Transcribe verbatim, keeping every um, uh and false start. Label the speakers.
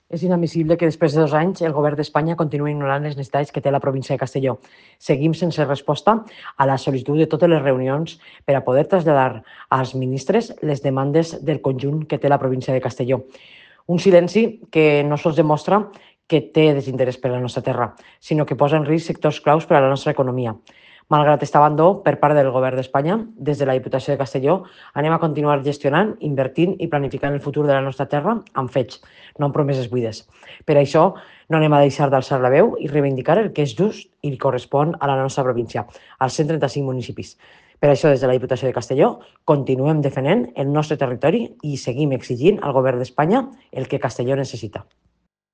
Speaker 1: És inadmissible que després de dos anys el govern d'Espanya continuï ignorant les necessitats que té la província de Castelló. Seguim sense resposta a la sol·licitud de totes les reunions per a poder traslladar als ministres les demandes del conjunt que té la província de Castelló. Un silenci que no sols demostra que té desinterès per la nostra terra, sinó que posa en risc sectors claus per a la nostra economia. Malgrat aquest abandó per part del govern d'Espanya, des de la Diputació de Castelló anem a continuar gestionant, invertint i planificant el futur de la nostra terra amb fets, no amb promeses buides. Per això no anem a deixar d'alçar la veu i reivindicar el que és just i correspon a la nostra província, als cent trenta-cinc municipis. Per això, des de la Diputació de Castelló, continuem defendent el nostre territori i seguim exigint al govern d'Espanya el que Castelló necessita.